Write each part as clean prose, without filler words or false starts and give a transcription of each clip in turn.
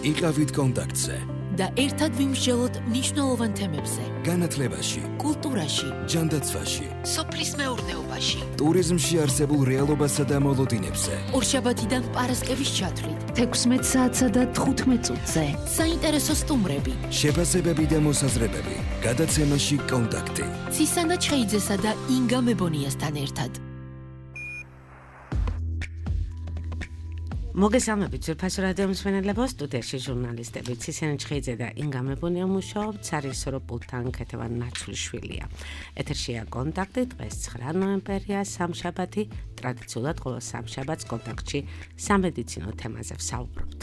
იყავით კონტაქტზე და ერთად ვიმსჯელოთ მნიშვნელოვან თემებზე. განათლებაში, კულტურაში, ჯანდაცვაში, სოფლის მეურნეობაში, ტურიზმში არსებულ რეალობასა და მოლოდინებზე. ორშაბათიდან პარასკევის ჩათვლით 16 საათსა და 15 წუთზე. საინტერესო სტუმრები, შეფასებები და მოსაზრებები. გადაცემაში კონტაქტი. ცისანა ჩხეიძესა და ინგა მებონიასთან ერთად. მოგესალმებით ძვირფასო რადიო მსმენელებო, სტუდიაში ჟურნალისტები ცისანა ჩხეიძე და ინგა მებონია მუშაობთ, სარისორო პულტთან ქეთევან ნაცვლიშვილია. ეთერშია კონტაქტი, დღეს 9 ნოემბერია, სამშაბათი, ტრადიციულად ყოველ სამშაბათს კონტაქტში სამედიცინო თემაზე ვსაუბრობთ.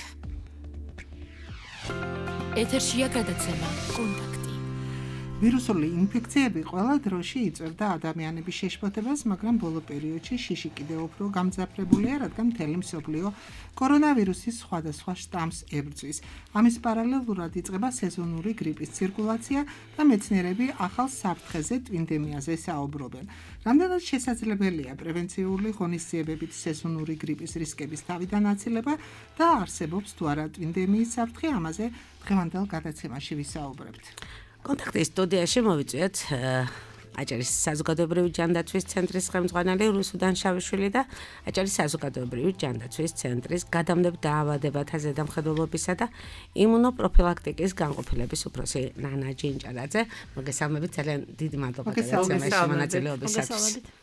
ეთერშია გადაცემა კონტაქტი. ვირუსული ინფექციები ყველა დროში იწვევდა ადამიანების შეშფოთებას, მაგრამ ბოლო პერიოდში შიში კიდევ უფრო გამძაფრებულია, რადგან მთელი მსოფლიო კორონავირუსის სხვადასხვა შტამს ებრძვის. ამის პარალელურად იწყება სეზონური გრიპის ცირკულაცია და მეცნიერები ახალ საფრთხეზე ტვინდემიაზე საუბრობენ. რამდენად შესაძლებელია პრევენციული ღონისძიებებით სეზონური გრიპის რისკების თავიდან აცილება და არსებობს თუ არა ტვინდემიის საფრთხე, ამაზე დღევანდელ გადაცემაში ვისაუბრებთ. კონტაქტის სტუდიაში მოვიწვიეთ აჭარის საზოგადოებრივი ჯანდაცვის ცენტრის ხელმძღვანელი რუსუდან შავიშვილი და აჭარის საზოგადოებრივი ჯანდაცვის ცენტრის გადამნებ დაავადებათა ზედამხედველობისა და იმუნოპროფილაქტიკის განყოფილების უფროსი ნანა ჯინჭარაძე. მოგესალმებით, ძალიან დიდი მადლობა გადაცემაში მონაწილეობისათვის.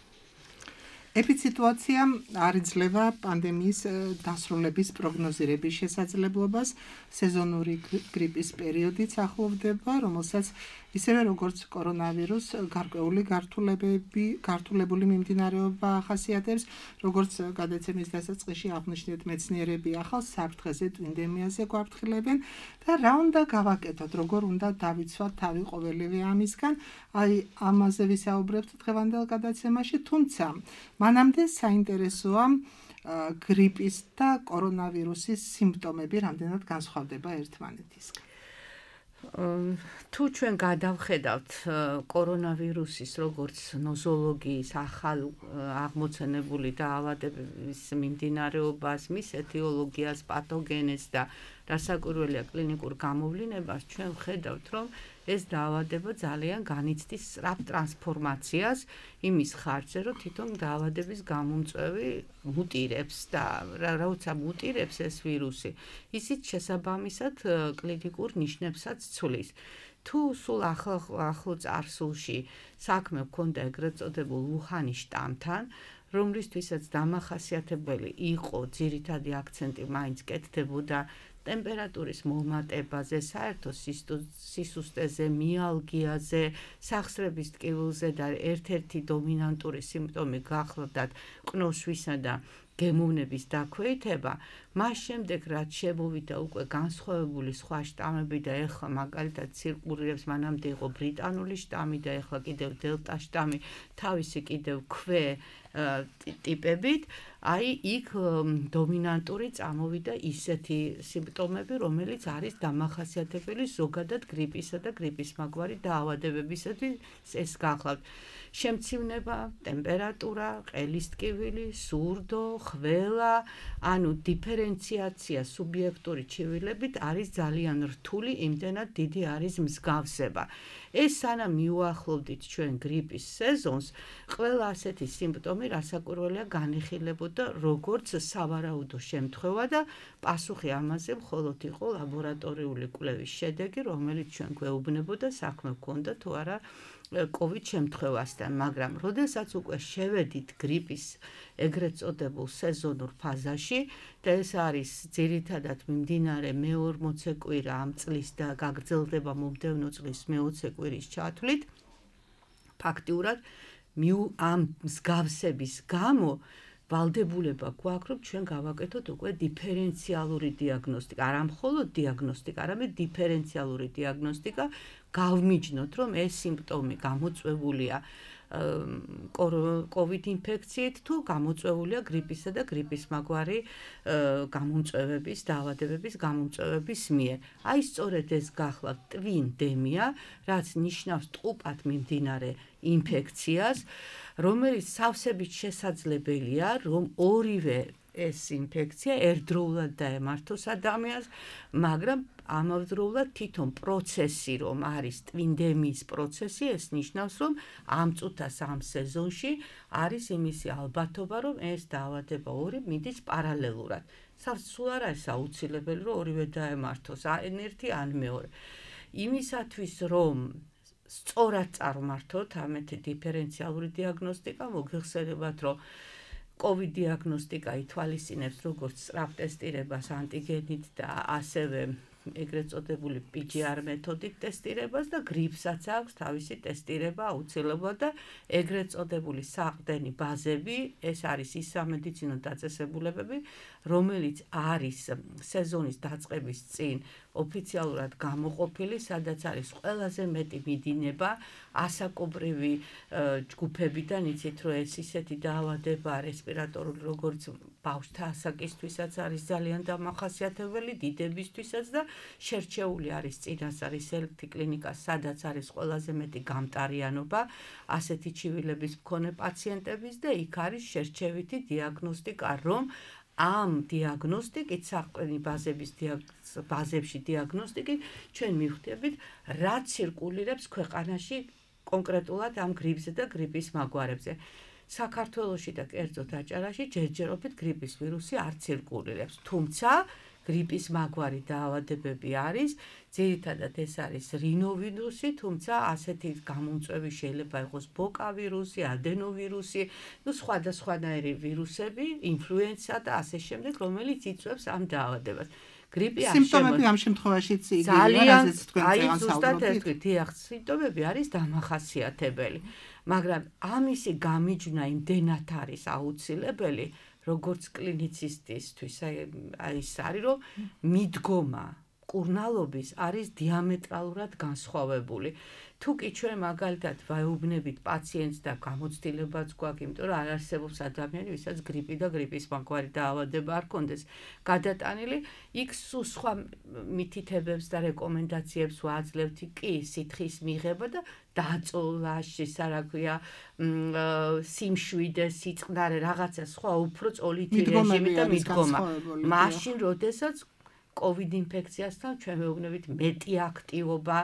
ეპიდემიასიტუაცია არ იძლევა პანდემიის დასრულების პროგნოზირების შესაძლებლობას. სეზონური გრიპის პერიოდიც ახლოვდება, რომელსაც ისევე როგორც კორონავირუს გარკვეული გართულებული მიმდინარეობა ახასიათებს, როგორც გადაცემის დასაწყისში აღვნიშნეთ, მეცნიერები ახალ საფრთხეზე ტვინდემიაზე გვაფრთხილებენ და რა უნდა გავაკეთოთ, როგორ უნდა დავიცვათ თავი ყოველივე ამისგან, ამაზე ვისაუბრებთ დღევანდელ გადაცემაში, თუმცა მანამდე საინტერესოა გრიპის და კორონავირუსის სიმპტომები რამდენად განსხვავდება ერთმანეთისგან. თუ ჩვენ გადავხედავთ კორონავირუსის როგორც ნოზოლოგიის ახალ აღმოცენებული დაავადების მიმდინარეობას, მის ეთიოლოგიას, პათოგენეზს და რასაკვირველია კლინიკურ გამოვლინებას, ჩვენ ვხედავთ, რომ ეს დაავადება ძალიან განიცდის სწრაფ ტრანსფორმაციას იმის ხარჯზე, რომ თვითონ დაავადების გამომწვევი მუტირებს და როცა მუტირებს ეს ვირუსი, ისიც შესაბამისად კლინიკურ ნიშნებსაც ცვლის. თუ სულ ახლო წარსულში საქმე გქონდა ეგრეთ წოდებულ უჰანის შტამთან, რომლისთვისაც დამახასიათებელი იყო ძირითადი აქცენტი მაინც კეთდებოდა ტემპერატურის მომატებაზე, საერთო სისუსტეზე, მიალგიაზე, სახსრების ტკივილზე და ერთ-ერთი დომინანტური სიმპტომი გახლდათ ყნოსვისა და გემოვნების დაქვეითება, მას შემდეგ რაც შემოვიდა უკვე განსხვავებული სხვა შტამები და ეხლა მაგალითად ცირკულირებს, მანამდე იყო ბრიტანული შტამი და ეხლა კიდევ დელტა შტამი, თავისი კიდევ ქვე ტიპებით, იქ დომინანტური წამოვიდა ისეთი სიმპტომები, რომელიც არის დამახასიათებელი ზოგადად გრიპისა და გრიპის მაგვარი დაავადებებისათვის ეს გახლავთ. შემცივნება, ტემპერატურა, ყელის ტკივილი, სურდო, ხველა, ანუ დიფერენციაცია სუბიექტური ჩივილებით არის ძალიან რთული, იმდენად დიდი არის მსგავსება. ეს სანამ მიუახლოვდით ჩვენ გრიპის სეზონს, ყველა ასეთი სიმპტომი რასაკვირველია განიხილებოდა როგორც სავარაუდო შემთხვევა და პასუხი ამაზე მხოლოდ იყო ლაბორატორიული კვლევის შედეგი, რომელიც ჩვენ გვეუბნებოდა საქმე გქონდა თუ არა COVID შემთხვევასთან, მაგრამ როდესაც უკვე შევედით გრიპის ეგრეთ წოდებულ სეზონურ ფაზაში და ეს არის ძირითადად მიმდინარე მე-40 კვირა ამ წლის და გაგრძელდება მომდევნო წლის მე-20 კვირის ჩათვლით, ფაქტიურად ამ მსგავსების გამო ვალდებულება გვაქვს, რომ ჩვენ გავაკეთოთ უკვე დიფერენციალური დიაგნოსტიკა, არა მხოლოდ დიაგნოსტიკა, არამედ დიფერენციალური დიაგნოსტიკა, გავმიჯნოთ, რომ ეს სიმპტომი გამოწვეულია COVID ინფექციით თუ გამოწვეულია გრიპისა და გრიპის მაგვარი გამომწვევების, დაავადებების გამომწვევების მიერ. აი სწორედ ეს გახლავთ ტვინდემია, რაც ნიშნავს ტყუპად მიმდინარე ინფექციას, რომელიც სავსებით შესაძლებელია, რომ ორივე ეს ინფექცია ერთდროულად დაემართოს ადამიანს, მაგრამ ამავდროულად თვითონ პროცესი, რომ არის ტვინდემიის პროცესი, ეს ნიშნავს, რომ ამ წუთას ამ სეზონში არის იმისი ალბათობა, რომ ეს დაავადება ორი მიდის პარალელურად. სულ არ არის აუცილებელი, რომ ორივე დაემართოს, ან ერთი, ან მეორე. იმისათვის, რომ სწორად წარმართოთ ამეთი დიფერენციალური დიაგნოსტიკა, მოგეხსენებათ, რომ COVID დიაგნოსტიკა ითვალისწინებს როგორც სწრაფ ტესტირებას ანტიგენით და ასევე ეგრეთ წოდებული PCR მეთოდით ტესტირებას და გრიპსაც აქვს თავისი ტესტირება აუცილებლად და ეგრეთ წოდებული საყრდენი ბაზები, ეს არის ის სამედიცინო დაწესებულებები, რომელიც არის სეზონის დაწყების წინ ოფიციალურად გამოყოფილი, სადაც არის ყველაზე მეტი მიდინება ასაკობრივი ჯგუფებიდან, იცით, რომ ეს ისეთი დაავადება რესპირატორული, როგორც ბავშვთა ასაკისთვისაც არის ძალიან დამახასიათებელი, დიდებისთვისაც და შერჩეული არის წინასწარი სელექტი კლინიკა, სადაც არის ყველაზე მეტი გამტარიანობა ასეთი ჩივილების მქონე პაციენტების და იქ არის შერჩევითი დიაგნოსტიკა, რომ ამ დიაგნოსტიკით, საყრდენი ბაზებში დიაგნოსტიკით ჩვენ მივხვდებით, რა ცირკულირებს ქვეყანაში კონკრეტულად ამ გრიპზე და გრიპის მაგვარებზე. საქართველოში და კერძოდ აჭარაში ჯერჯერობით გრიპის ვირუსი არ ცირკულირებს, თუმცა გრიპის მაგვარი დაავადებები არის, ძირითადად ეს არის რინოვირუსი, თუმცა ასეთი გამომწვევი შეიძლება იყოს ბოკა ვირუსი, ადენოვირუსი, სხვადასხვანაირი ვირუსები, ინფლუენცა და ასე შემდეგ, რომელიც იწვევს ამ დაავადებას. გრიპი არ სიმპტომები ამ შემთხვევაშიც იგივეა, რაზეც თქვენ წეგან საუბრობთ. სიმპტომები არის დამახასიათებელი, მაგრამ ამისი გამიჯვნა იმდენად არის აუცილებელი, როგორც კლინიცისტისთვის, ის არის, რომ მიდგომა კურნალობის არის დიამეტრალურად განსხვავებული. თუკი ჩვენ მაგალითად ვაეუბნებით პაციენტს და გამოცდილებაც გვაქვს, იმიტომ რომ არ არსებობს ადამიანი, ვისაც გრიპი და გრიპის მაგვარი დაავადება არ კონდეს გადატანილი, იქ სულ სხვა მითითებებს და რეკომენდაციებს ვაძლევთ, კი სითხის მიღება და დაწოლა, რა ქვია, სიმშვიდე, სიწყნარე, რაღაცა სხვა უფრო წოლითი რეჟიმი და მიდგომა. მაშინ, როდესაც COVID ინფექციასთან ჩვენ ვეუბნებით მეტი აქტივობა,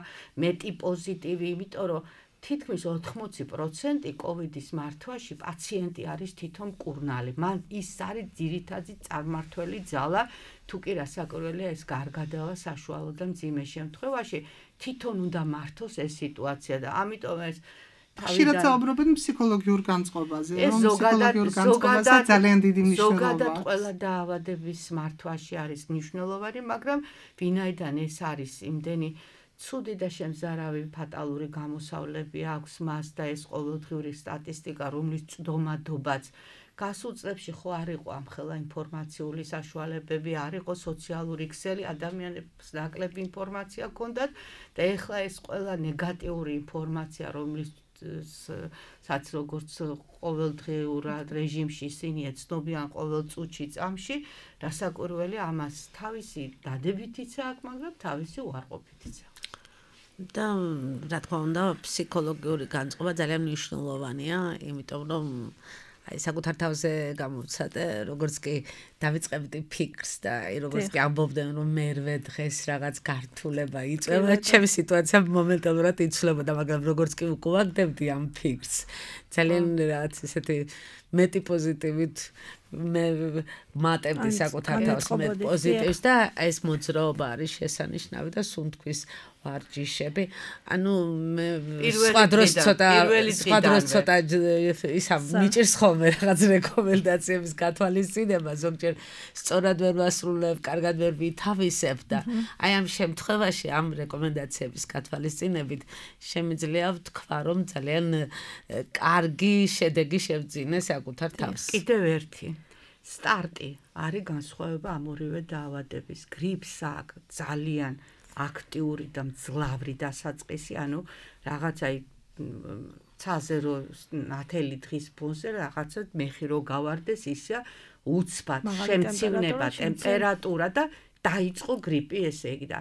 მეტი პოზიტივი, იმიტომ რომ თითქმის 80% COVID-ის მართვაში პაციენტი არის თვითონ მკურნალი. მან ის არის ძირითადი წარმართველი ძალა, თუ კი რასაკვირველია ეს გარგადავა საშუალო და მძიმე შემთხვევაში თვითონ უნდა მართოს ეს სიტუაცია და ამიტომ ეს ხშირად საუბრობენ ფსიქოლოგიურ განწყობაზე, რომ ფსიქოლოგიურ განწყობაზე ძალიან დიდი მნიშვნელობა. ზოგადად ყველა დაავადების მართვაში არის მნიშვნელოვანი, მაგრამ ვინაიდან ეს არის იმდენი ცუდი და შემზარავი ფატალური გამოსავლები აქვს მას და ეს ყოველდღიური სტატისტიკა, რომლის წვდომადობაც გასულ წლებში ხო არ იყო ამხელა ინფორმაციული საშუალებები, არ იყო სოციალური ქსელი, ადამიანებს ნაკლები ინფორმაცია ჰქონდათ და ეხლა ეს ყველა ნეგატიური ინფორმაცია, რომლის სადაც როგორც ყოველდღიურად რეჟიმში ისინი ეცნობიან ყოველ წუთში წამში, რასაკვირველია ამას თავისი დადებითიც აქვს, მაგრამ თავისი უარყოფითიც აქვს. და რა თქმა უნდა, ფსიქოლოგიური განწყობა ძალიან მნიშვნელოვანია, იმიტომ რომ აი საკუთარ თავზე გამოვცადე, როგორც კი დავიწყებდი ფიქრს და აი როგორც კი ამბობდნენ, რომ მერვე დღეს რაღაც გართულება იწვევა, ჩემი სიტუაცია მომენტალურად იცვლებოდა, მაგრამ როგორც კი უკუაგდებდი ამ ფიქრს, ძალიან რაღაც ესეთი მეტი პოზიტივით მე მატებდი საკუთარ თავს მე პოზიტივს და ეს მოძრაობა არის შესანიშნავი და სუნთქვის ვარჯიშები. ანუ მე სხვა დროს ცოტა ისა მიჭირს ხოლმე რაღაც რეკომენდაციების გათვალისწინება, ზოგჯერ სწორად ვერ ვასრულებ, კარგად ვერ ვითავისებ და აი ამ შემთხვევაში ამ რეკომენდაციების გათვალისწინებით შემიძლია ვთქვა, რომ ძალიან კარგი შედეგი შევძინე საკუთარ თავს. კიდევ ერთი სტარტი არის განსხვავება ამ ორივე დაავადების. გრიპს აქვს ძალიან აქტიური და მძლავრი დასაწყისი, ანუ რაღაცა ცაზე რო ნათელი დღის ფონზე რაღაცა მეხი რო გავარდეს, ისა უცბად შემცირება ტემპერატურა და დაიწყო გრიპი, ესე იგი და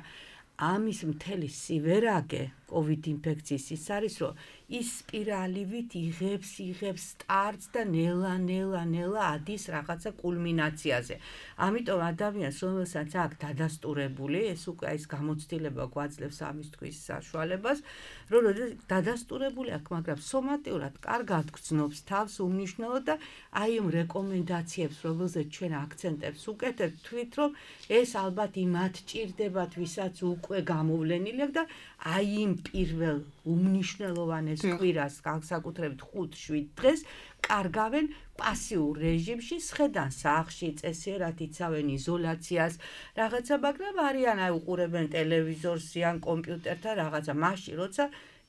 ამის მთელი სივერაგე COVID ინფექციის ის არის, რომ ის სპირალივით იღებს სტარტს და ნელა ადის რაღაცა კულმინაციაზე. ამიტომ ადამიანს, რომელსაც აქვს დადასტურებული, ეს უკვე ის გამოცდილება გვაძლევს ამის თქვის საშუალებას, რომ დადასტურებული აქვს, მაგრამ სომატიურად კარგად გრძნობს თავს უმნიშვნელოდ და აი იმ რეკომენდაციებს, რომელზეც ჩვენ აქცენტებს უკეთებთ, თვით რომ ეს ალბათ იმათ ჭირდებათ, ვისაც უკვე გამოვლენილი აქვს და აი იმ პირველ უმნიშვნელოვანეს კვირას, განსაკუთრებით 5-7 დღეს კარგავენ პასიურ რეჟიმში, სხედან სახლში, წესიერად იცავენ იზოლაციას, რაღაცა, მაგრამ არიან აი უყურებენ ტელევიზორს ან კომპიუტერთან რაღაცა, მაშინ როცა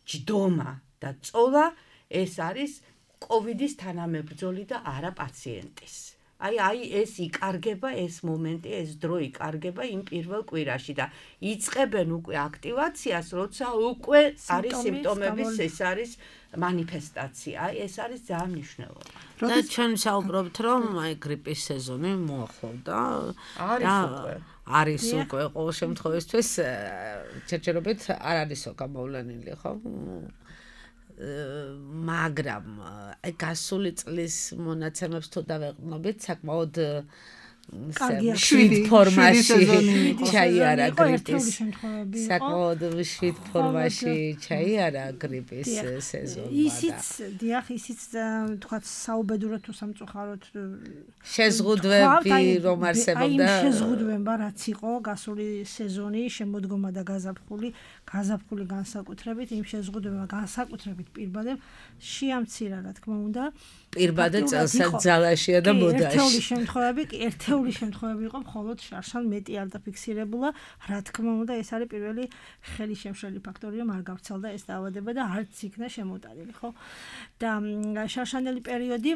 ჯდომა და წოლა ეს არის კოვიდის თანამებრძოლი და არა პაციენტის. აი ეს იკარგება, ეს მომენტი, ეს დრო იკარგება იმ პირველ კვირაში და იწყებენ უკვე აქტივაციას, როცა უკვე არის სიმპტომების, ეს არის მანიფესტაცია. აი ეს არის ძალიან მნიშვნელოვანი. და ჩვენ საუბრობთ, რომ აი გრიპის სეზონი მოახლოვდა. არის უკვე ყოველ შემთხვევისთვის ჯერჯერობით არ არისო გამოვლენილი, ხო? მაგრამ აი გასული წლის მონაცემებს თუ დავეყრდნობით, საკმაოდ შვიდ ფორმაში ჩაიარა გრიპის. საკმაოდ შვიდ ფორმაში ჩაიარა გრიპის სეზონი. ისიც თქვა საუბედუროდ თუ სამწუხაროდ შეზღუდვები რომ არსებობდა. აი შეზღუდვება რაც იყო გასული სეზონი, შემოდგომა და გაზაფხული განსაკუთრებით, იმ შეზღუდვება განსაკუთრებით პირბადებ შეამცირა, რა თქმა უნდა. პირბადე წელსაც ძალაშია და მოდაში. ერთეული შემთხვევები იყო, მხოლოდ შარშან მეტი არ დაფიქსირებულა. რა თქმა უნდა, ეს არის პირველი ხელი შემშლელი ფაქტორი, რომ არ გავრცელდა ეს დაავადება და არც იქნა შემოტანილი, ხო? და შარშანელი პერიოდი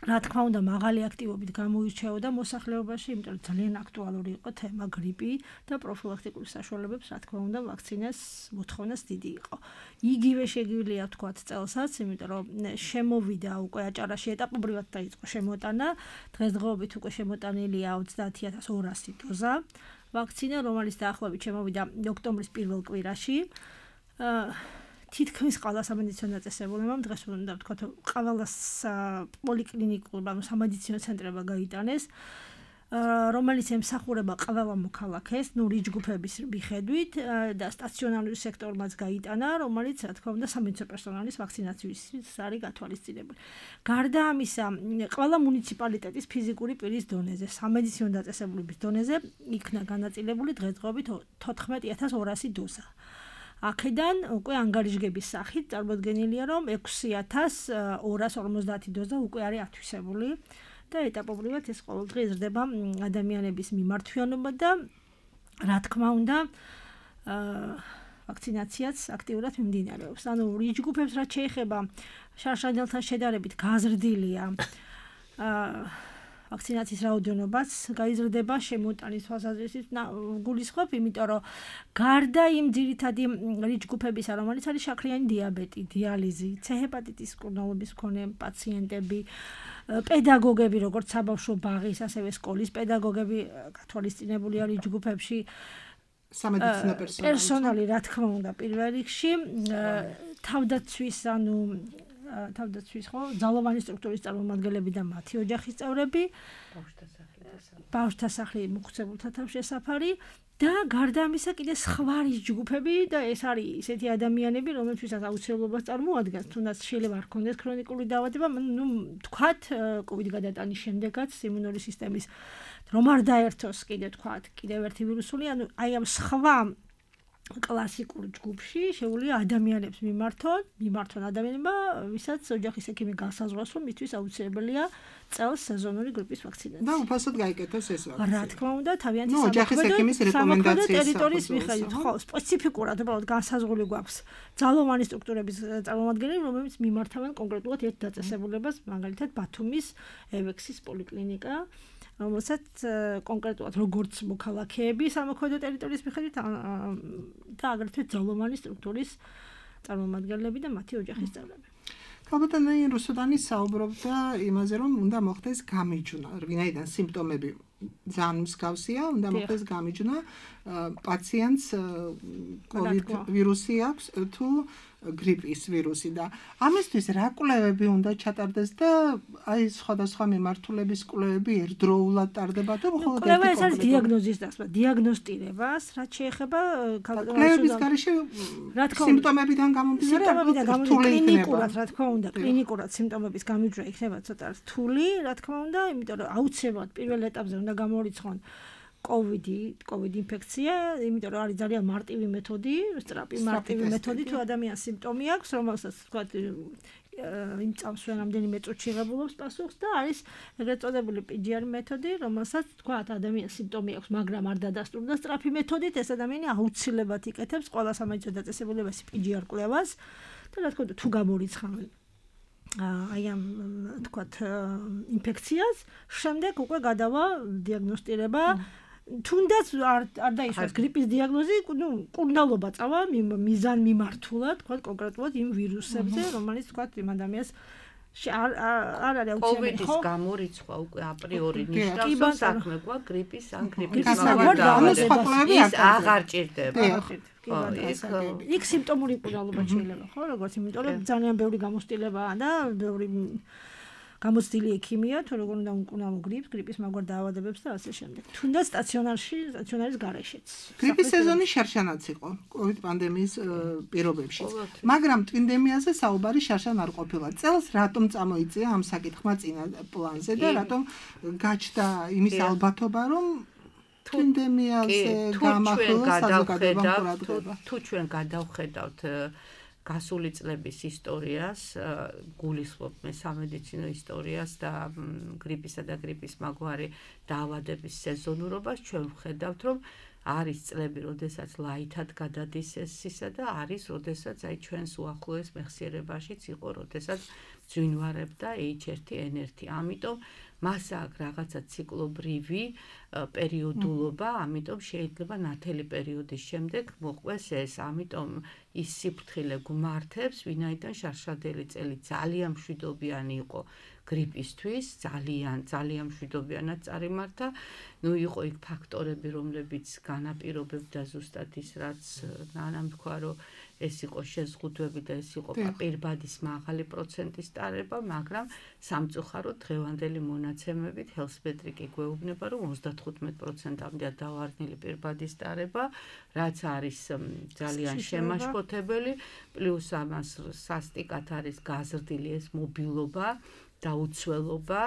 რა თქმა უნდა, მაღალი აქტივობით გამოირჩეოდა მოსახლეობაში, იმიტომ რომ ძალიან აქტუალური იყო თემა გრიპი და პროფილაქტიკური საშუალებებს, რა თქმა უნდა, ვაქცინას მოთხოვნას დიდი იყო. იგივე შეგვიძლია ვთქვათ წელსაც, იმიტომ რომ შემოვიდა უკვე აჭარაში ეტაპობრივად დაიწყო შემოტანა, დღესდღეობით უკვე შემოტანილია 30,200 დოზა ვაქცინა, რომელიც დაახლოებით შემოვიდა ოქტომბრის პირველ კვირაში. თითქმის ყველა სამედიცინო დაწესებულებამ დღეს უნდა ვთქვათ, ყველა პოლიკლინიკურ, ანუ სამედიცინო ცენტრებმა გაიტანეს, რომელიც ემსახურება ყველა მოქალაქეს, რიჯგუფების მიხედვით და სტაციონარული სექტორმაც გაიტანა, რომელიც რა თქმა უნდა სამედიცინო პერსონალის ვაქცინაციის არის გათვალისწინებული. გარდა ამისა, ყველა მუნიციპალიტეტის ფიზიკური პირის დონეზე, სამედიცინო დაწესებულების დონეზე იქნა განაწილებული დღესდღეობით 14,200 დოზა. აქედან უკვე ანგარიშგების სახით წარმოდგენილია, რომ 6,250 დოზა უკვე არის ათვისებული და ეტაპობრივად ეს ყოველდღე იზრდება ადამიანების მიმართვიანობა და რა თქმა უნდა ვაქცინაციაც აქტიურად მიმდინარეობს. ანუ რიჯგუფებს რაც შეეხება შარშანელთან შედარებით გაზრდილია ვაქცინაციის რაოდენობაც გაიზრდება შემოტანის თვალსაზრისით გულისხმობ, იმიტომ რომ გარდა იმ ძირითადი რიჯგუფებისა, რომელიც არის შაქრიანი დიაბეტი, დიალიზი, ცეჰეპატიტის მკურნალობის მქონე პაციენტები, პედაგოგები, როგორც საბავშვო ბაღის, ასევე სკოლის პედაგოგები გათვალისწინებულია რიჯგუფებში, სამედიცინო პერსონალი, რა თქმა უნდა, პირველ რიგში, თავდაცვის, ანუ თავდაცვის ხო ძალოვანი სტრუქტურის წარმომადგენლები და მათი ოჯახის წევრები, ბავშვთა სახლი მოხუცებულთა თავშესაფარი და გარდა ამისა კიდე სხვა რიჯგუფები და ეს არის ისეთი ადამიანები, რომელთვისაც აუცილებლობას წარმოადგენს, თუნდაც შეიძლება არ ქონდეს ქრონიკული დაავადება, თქვათ, კოვიდ გადატანის შემდეგაც იმუნური სისტემის რომ არ დაერთოს კიდევ ერთი ვირუსული, ანუ აი ამ სხვა კლასიკურ ჯგუფში შეუძლია ადამიანებს მიმართონ ადამიანებმა, ვისაც ოჯახის ექიმი განსაზღვროს, რომ მისთვის აუცილებელია წელს სეზონური გრიპის ვაქცინაცია. და უფასოდ გაიკეთოს ეს ვაქცინა. რა თქმა უნდა, თავიანთი ოჯახის ექიმის რეკომენდაციის ტერიტორიის მიხედვით, ხო, სპეციფიკურად უბრალოდ განსაზღვრული გვაქვს ძალოვანი სტრუქტურების წარმომადგენლები, რომლებიც მიმართავენ კონკრეტულად ერთ დაწესებულებას, მაგალითად ბათუმის ევექსის პოლიკლინიკა, რომელსაც კონკრეტულად როგორც მოქალაქეები სამოქმედო ტერიტორიის მიხედვით და აგრეთვე ძალოვანი სტრუქტურის წარმომადგენლები და მათი ოჯახის წევრები. ქალბატონი რუსუდანი საუბრობდა იმაზე, რომ უნდა მოხდეს გამიჯვნა, ვინაიდან სიმპტომები ძალიან მსგავსია, უნდა მოხდეს გამიჯნა პაციენტს COVID ვირუსი აქვს თუ გრიპის ვირუსი და ამისთვის რა კვლევები უნდა ჩატარდეს და აი სხვადასხვა მიმართულების კვლევები ერთდროულად ტარდება თუ მხოლოდ კვლევა ეს არის დიაგნოზის დასმა, დიაგნოსტირებას, რაც შეეხება კვლევების გარეშე სიმპტომებიდან გამომდინარე კლინიკურად, რა თქმა უნდა, კლინიკურად სიმპტომების გამიჯვნა იქნება ცოტა რთული, რა თქმა უნდა, იმიტომ რომ აუცილებლად პირველ ეტაპზე უნდა გამორიცხონ COVID ინფექცია, იმიტომ რომ არის ძალიან მარტივი მეთოდი, სწრაფი მარტივი მეთოდი თუ ადამიანს სიმპტომი აქვს, რომელსაც თქვა იმ წამს რამდენიმე წუთში ღებულობს პასუხს და არის ეგრეთ წოდებული PCR მეთოდი, რომელსაც თქვა ადამიანს სიმპტომი აქვს, მაგრამ არ დადასტურდა სწრაფი მეთოდით, ეს ადამიანი აუცილებლად იკეთებს ყველა სამედიცინო დაწესებულებას PCR კვლევას და რა თქმა უნდა თუ გამორიცხავენ აი ამ თქვათ ინფექციას, შემდეგ უკვე გადავა დიაგნოსტირება თუნდაც არ დაისვას გრიპის დიაგნოზი, კურნალობა წავა მიზან მიმართულად, თქვათ კონკრეტულად იმ ვირუსებზე, რომელიც თქვათ იმ ადამიანს არ არის COVID-ის გამორიცხვა უკვე აპრიორი ნიშნავს, რომ საქმე გვაქვს გრიპის ან გრიპის მაგალითად აღარ ჭირდება. იქ სიმპტომური კურნალობა შეიძლება, ხო, როგორც იმიტომ რომ ძალიან ბევრი გამოცდილებაა და ბევრი გამოცდილი ექიმია, თუ როგორ უნდა უკუნავო გრიპის მაგვარ დაავადებებს და ასე შემდეგ. თუნდაც სტაციონარის გარეშეც. გრიპის სეზონი შარშანაც იყო COVID პანდემიის პირობებში. მაგრამ ტვინდემიაზე საუბარი შარშან არ ყოფილა. წელს რატომ წამოიწია ამ საკითხმა წინა პლანზე და რატომ გაჩნდა იმის ალბათობა, რომ ტვინდემიაზე გამახვილა საზოგადოებამ ყურადღება. თუ ჩვენ გადავხედავთ გასული წლების ისტორიას, გულისხმობ მე სამედიცინო ისტორიას და გრიპისა და გრიპის მაგვარი დაავადების სეზონურობას, ჩვენ ვხედავთ, რომ არის წლები, როდესაც ლაითად გადადის ეს ისა და არის, როდესაც აი ჩვენს უახლოეს მეხსიერებაშიც იყო, როდესაც ძვინვარებდა H1N1. ამიტომ მას აქვს რაღაცა ციკლობრივი პერიოდულობა, ამიტომ შეიძლება ნათელი პერიოდის შემდეგ მოყვეს ეს, ამიტომ ის სიფრთხილე გვმართებს, ვინაიდან შარშადელი წელი ძალიან მშვიდობიანი იყო გრიპისთვის, ძალიან მშვიდობიანად წარიმართა. იყო იქ ფაქტორები, რომლებიც განაპირობებდა ზუსტად ის, რაც ნანამ თქვა, რომ ეს იყო შეზღუდვები და ეს იყო პირბადის მაღალი პროცენტის ტარება, მაგრამ სამწუხაროდ დღევანდელი მონაცემებით ჰელსმეტრიკი გვეუბნება, რომ 35%-მდეა დავარდნილი პირბადის ტარება, რაც არის ძალიან შემაშფოთებელი, პლუს ამას სასტიკად არის გაზრდილი ეს მობილობა და უცველობა,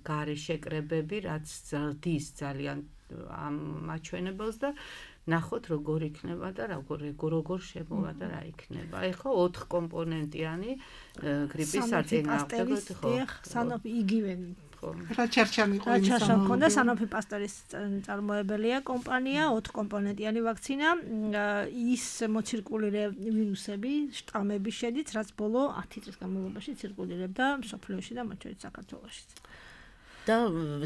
გარე შეკრებები, რაც ზრდის ძალიან ამ მაჩვენებელს და ნახოთ როგორ იქნება და როგორ შემოვა და რა იქნება. ეხლა 4 კომპონენტიანი გრიპის საწინააღმდეგო ხო. სანოფი იგივე რაჩარჩანი მქონდა სანოფი პასტორის წარმოებელია კომპანია, 4 კომპონენტიანი ვაქცინა, ის მოცირკულირე ვირუსები, შტამები შედით, რაც ბოლო 10 წლის განმავლობაში ცირკულირებდა მსოფლიოში და მათ შორის საქართველოშიც. და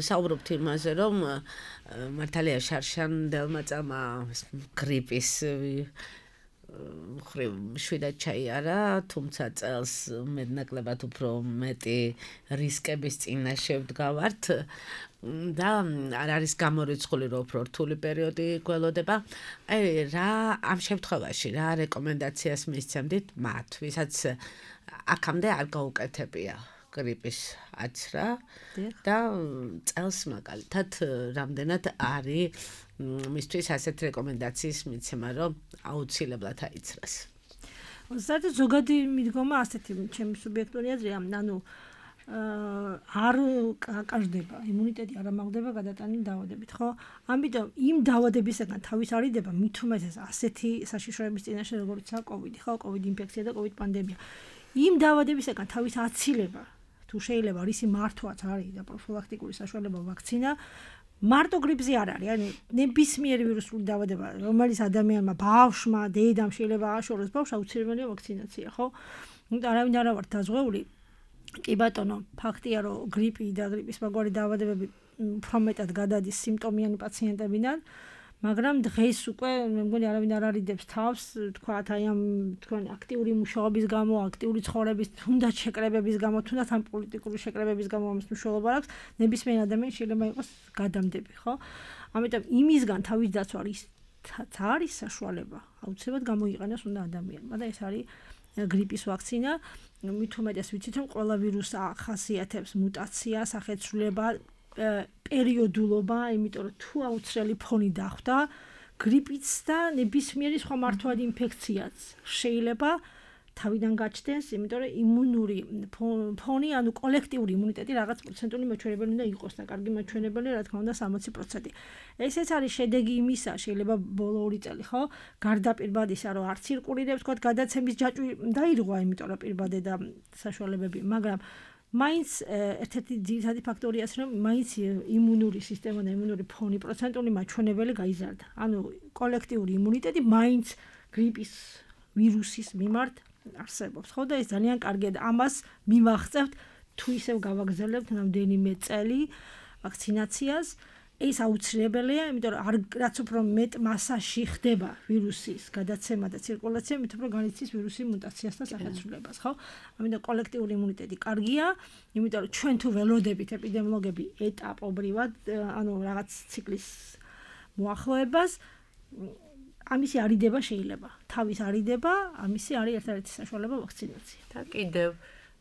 საუბრობთ იმაზე, რომ მართალია შარშანდელმა წამმა გრიპის მხრივ შვიდად ჩაიარა, თუმცა წელს მეტნაკლებად უფრო მეტი რისკების წინაშე ვდგავართ და არ არის გამორიცხული, რომ უფრო რთული პერიოდი გველოდება. აი რა ამ შემთხვევაში რა რეკომენდაციას მისცემდით მათ, ვისაც აქამდე არ გაუკეთებია გრიპის აცრა და წელს მაგალითად რამდენად არის მისთვის ასეთ რეკომენდაციის მიცემა, რომ აუცილებლად აიცრას. ზოგადად ზოგადი მიდგომა ასეთი ჩემი სუბიექტური აზრია, ანუ არ აკარდება, იმუნიტეტი არ ამაღლდება გადატანილი დაავადებით, ხო? ამიტომ იმ დაავადებისგან თავის არიდება მით უმეტეს ასეთი საშიშროების წინაშე როგორიცაა COVID, ხო? COVID ინფექცია და COVID პანდემია. იმ დაავადებისგან თავის აცილება თუ შეიძლება რისი მართვაც არის და პროფილაქტიკური საშუალება ვაქცინა მარტო გრიპზე არ არის, ანუ ნებისმიერი ვირუსული დაავადება, რომელიც ადამიანმა ბავშვმა, დედამ შეიძლება ააშოროს ბავშვს, აუცილებელია ვაქცინაცია, ხო? არავინ არ ვარ დაზღვეული. კი ბატონო, ფაქტია, რომ გრიპი და გრიპის მაგვარი დაავადებები უფრო მეტად გადადის სიმპტომიანი პაციენტებიდან, მაგრამ დღეს უკვე მე მგონი არავინ არ არიდებს თავს, თქვათ აი ამ თქვენ აქტიური მუშაობის გამო, აქტიური ცხოვრების, თუნდაც შეკრებების გამო, თუნდაც ამ პოლიტიკური შეკრებების გამო ამის მნიშვნელობა აქვს, ნებისმიერ ადამიანს შეიძლება იყოს გადამდები, ხო? ამიტომ იმისგან თავის დაცვა არის საშუალება, აუცილებლად გამოიყენოს უნდა ადამიანმა და ეს არის გრიპის ვაქცინა. მით უმეტეს ვიცით რომ ყველა ვირუსი ახასიათებს მუტაცია, სახეცვლილება, პერიოდულობა, იმიტომ რომ თუ აუცილებელი ფონი დახვდა, გრიპიც და ნებისმიერი სხვა მართვადი ინფექციაც შეიძლება თავიდან გაჩნდეს, იმიტომ რომ იმუნური ფონი, ანუ კოლექტიური იმუნიტეტი რაღაც პროცენტული მაჩვენებელი უნდა იყოს და კარგი მაჩვენებელი, რა თქმა უნდა 60%. ესეც არის შედეგი იმისა, შეიძლება ბოლო 2 წელი, ხო? გარდა პირბადისა, რომ არ ცირკულირებს, თქვა გადაცემის ჯაჭვი დაირღვა, იმიტომ რომ პირბადე და საშუალებები, მაგრამ მაინც ერთ-ერთი ძირითადი ფაქტორია ის, რომ მაინც იმუნური სისტემა და იმუნური ფონი პროცენტული მაჩვენებელი გაიზარდა. ანუ კოლექტიური იმუნიტეტი მაინც გრიპის ვირუსის მიმართ არსებობს, ხო და ეს ძალიან კარგია და ამას მივახცევთ თუ ისევ გავაგზავნებთ რამდენიმე წელი ვაქცინაციას. ეს აუცილებელია, იმიტომ რომ რაც უფრო მეტ მასაში ხდება ვირუსის გადაცემა და ცირკულაცია, მით უფრო განიცდის ვირუსის მუტაციას და სახეცვლილებას, ხო? ამიტომ კოლექტიური იმუნიტეტი კარგია, იმიტომ რომ ჩვენ თუ ველოდებით ეპიდემიოლოგები ეტაპობრივად, ანუ რაღაც ციკლის მოახლოებას, ამისი არიდება შეიძლება. თავის არიდება, ამისი არის ერთ-ერთი საშუალება ვაქცინაცია. და კიდევ